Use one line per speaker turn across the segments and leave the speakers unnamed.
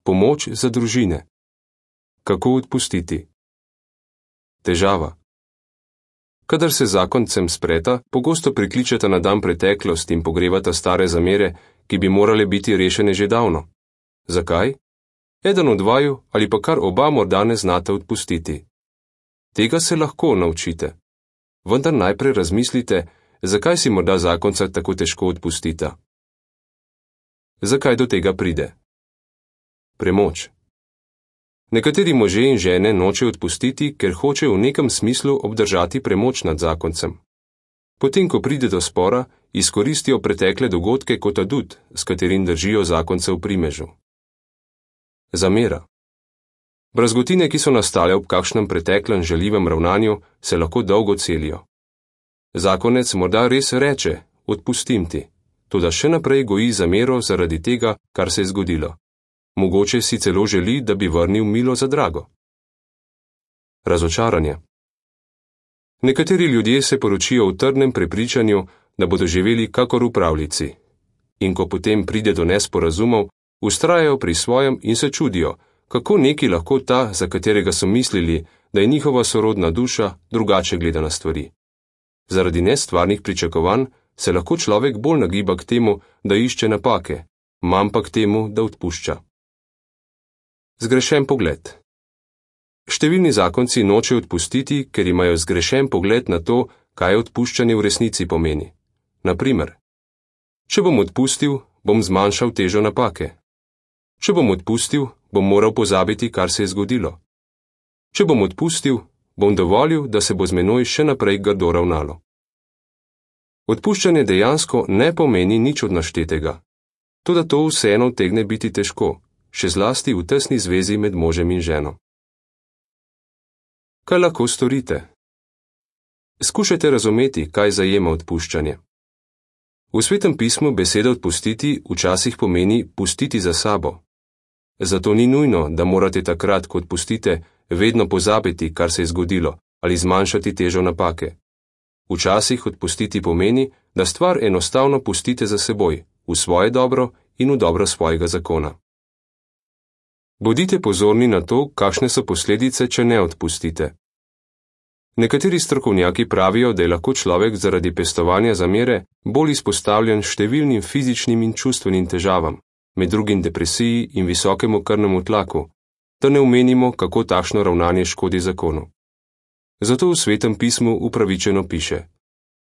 Pomoč za družine. Kako odpustiti? Težava. Kadar se zakoncem spreta, pogosto prikličeta na dan preteklost in pogrevata stare zamere, ki bi morale biti rešene že davno. Zakaj? Eden od vaju ali pa kar oba morda ne znate odpustiti. Tega se lahko naučite. Vendar najprej razmislite, zakaj si morda zakonca tako težko odpustita. Zakaj do tega pride? Premoč. Nekateri možje in žene nočejo odpustiti, ker hočejo v nekem smislu obdržati premoč nad zakoncem. Potem, ko pride do spora, izkoristijo pretekle dogodke kot adut, s katerim držijo zakonce v primežu. Zamera. Brazgotine, ki so nastale ob kakšnem preteklem žaljivem ravnanju, se lahko dolgo celijo. Zakonec morda res reče, odpustim ti, toda še naprej goji zamero zaradi tega, kar se je zgodilo. Mogoče si celo želi, da bi vrnil milo za drago. Razočaranje. Nekateri ljudje se poročijo v trdnem prepričanju, da bodo živeli kakor v pravljici. In ko potem pride do nesporazumov, vztrajajo pri svojem in se čudijo, kako neki lahko ta, za katerega so mislili, da je njihova sorodna duša, drugače gleda na stvari. Zaradi nestvarnih pričakovanj se lahko človek bolj nagiba k temu, da išče napake, manj pa k temu, da odpušča. Zgrešen pogled. Številni zakonci nočejo odpustiti, ker imajo zgrešen pogled na to, kaj odpuščanje v resnici pomeni. Naprimer, če bom odpustil, bom zmanjšal težo napake. Če bom odpustil, bom moral pozabiti, kar se je zgodilo. Če bom odpustil, bom dovolil, da se bo z menoj še naprej grdo ravnalo. Odpuščanje dejansko ne pomeni nič od naštetega. Toda to vseeno utegne biti težko, še zlasti v tesni zvezi med možem in ženo. Kaj lahko storite? Skušajte razumeti, kaj zajema odpuščanje. V Svetem pismu beseda odpustiti včasih pomeni pustiti za sabo. Zato ni nujno, da morate takrat, ko odpustite, vedno pozabiti, kar se je zgodilo, ali zmanjšati težo napake. Včasih odpustiti pomeni, da stvar enostavno pustite za seboj, v svoje dobro in v dobro svojega zakona. Bodite pozorni na to, kakšne so posledice, če ne odpustite. Nekateri strokovnjaki pravijo, da je lahko človek zaradi pestovanja zamere bolj izpostavljen številnim fizičnim in čustvenim težavam, med drugim depresiji in visokemu krvnemu tlaku, da ne omenimo, kako takšno ravnanje škodi zakonu. Zato v Svetem pismu upravičeno piše: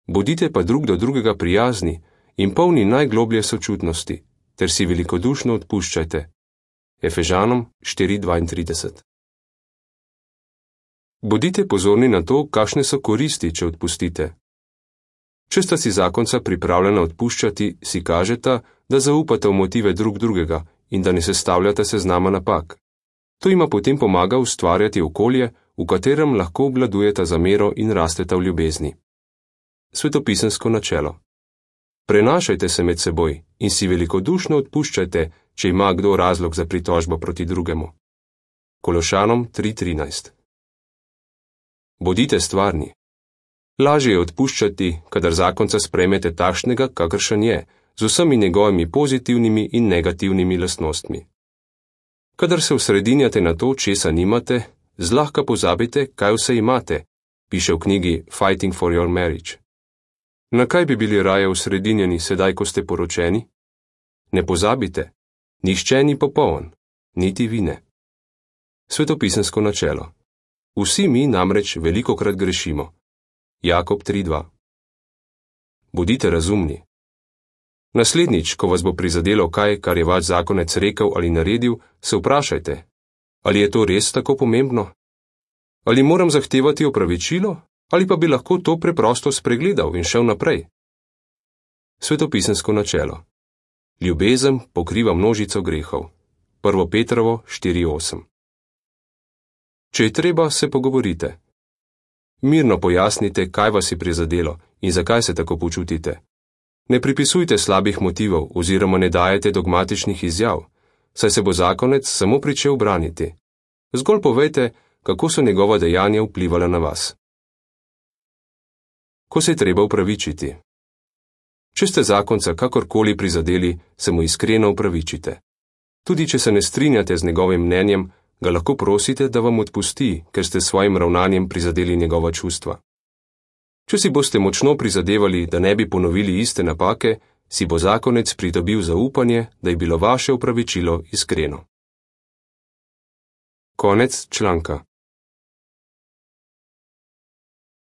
bodite pa drug do drugega prijazni in polni najgloblje sočutnosti, ter si velikodušno odpuščajte. Efežanom 4:32. Bodite pozorni na to, kakšne so koristi, če odpustite. Če sta si zakonca pripravljena odpuščati, si kažeta, da zaupate v motive drug drugega in da ne sestavljate seznama napak. To ima potem pomaga ustvarjati okolje, v katerem lahko obvladujeta zamero in rasteta v ljubezni. Svetopisemsko načelo. Prenašajte se med seboj in si velikodušno odpuščajte, če ima kdo razlog za pritožbo proti drugemu. Kološanom 3:13. Bodite stvarni. Lažje je odpuščati, kadar zakonca sprejmete takšnega, kakršen je, z vsemi njegovimi pozitivnimi in negativnimi lastnostmi. Kadar se osredinjate na to, česa nimate, zlahka pozabite, kaj vse imate, piše v knjigi Fighting for your marriage. Na kaj bi bili raje osredinjeni sedaj, ko ste poročeni? Ne pozabite, nihče ni popoln, niti vi ne. Svetopisemsko načelo. Vsi mi namreč velikokrat grešimo. Jakob 3:2. Bodite razumni. Naslednjič, ko vas bo prizadelo kaj, kar je vaš zakonec rekel ali naredil, se vprašajte, ali je to res tako pomembno? Ali moram zahtevati opravičilo, ali pa bi lahko to preprosto spregledal in šel naprej? Svetopisemsko načelo. Ljubezen pokriva množico grehov. 1. Petrovo 4:8. Če je treba, se pogovorite. Mirno pojasnite, kaj vas je prizadelo in zakaj se tako počutite. Ne pripisujte slabih motivov oziroma ne dajete dogmatičnih izjav, saj se bo zakonec samo pričel braniti. Zgolj povejte, kako so njegova dejanja vplivala na vas. Ko se je treba opravičiti. Če ste zakonca kakorkoli prizadeli, se mu iskreno opravičite. Tudi če se ne strinjate z njegovim mnenjem, ga lahko prosite, da vam odpusti, ker ste s svojim ravnanjem prizadeli njegova čustva. Če si boste močno prizadevali, da ne bi ponovili iste napake, si bo zakonec pridobil zaupanje, da je bilo vaše opravičilo iskreno. Konec članka.